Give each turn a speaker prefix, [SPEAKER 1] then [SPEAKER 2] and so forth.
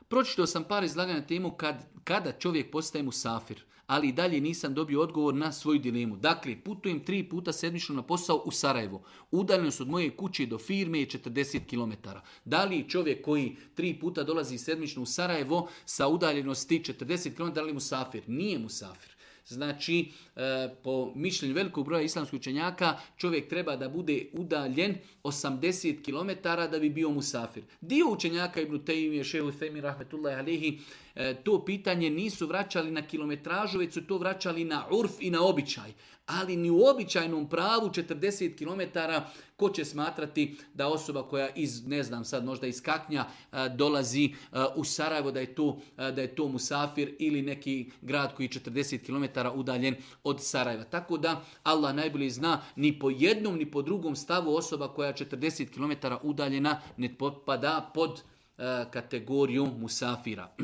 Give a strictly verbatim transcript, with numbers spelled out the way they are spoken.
[SPEAKER 1] Pročitao sam par izlaganja na temu kad, kada čovjek postaje musafir, ali i dalje nisam dobio odgovor na svoju dilemu. Dakle, putujem tri puta sedmično na posao u Sarajevo. Udaljenost od moje kuće do firme je četrdeset kilometara. Da li čovjek koji tri puta dolazi sedmično u Sarajevo sa udaljenosti četrdeset kilometara, da li musafir? Nije musafir. Znači, po mišljenju velikog broja islamskih učenjaka, čovjek treba da bude udaljen osamdeset kilometara da bi bio musafir. Dio učenjaka, Ibn Tejmije, Šehu Themi, rahmetullahi alihi, to pitanje nisu vraćali na kilometražu, već su to vraćali na urf i na običaj. Ali ni u običajnom pravu četrdeset kilometara, ko će smatrati da osoba koja iz, ne znam sad, možda iz Kaknja dolazi u Sarajevo, da je to, da je to musafir ili neki grad koji je četrdeset kilometara udaljen od Sarajeva. Tako da Allah najbolje zna, ni po jednom ni po drugom stavu osoba koja je četrdeset kilometara udaljena ne potpada pod kategoriju musafira.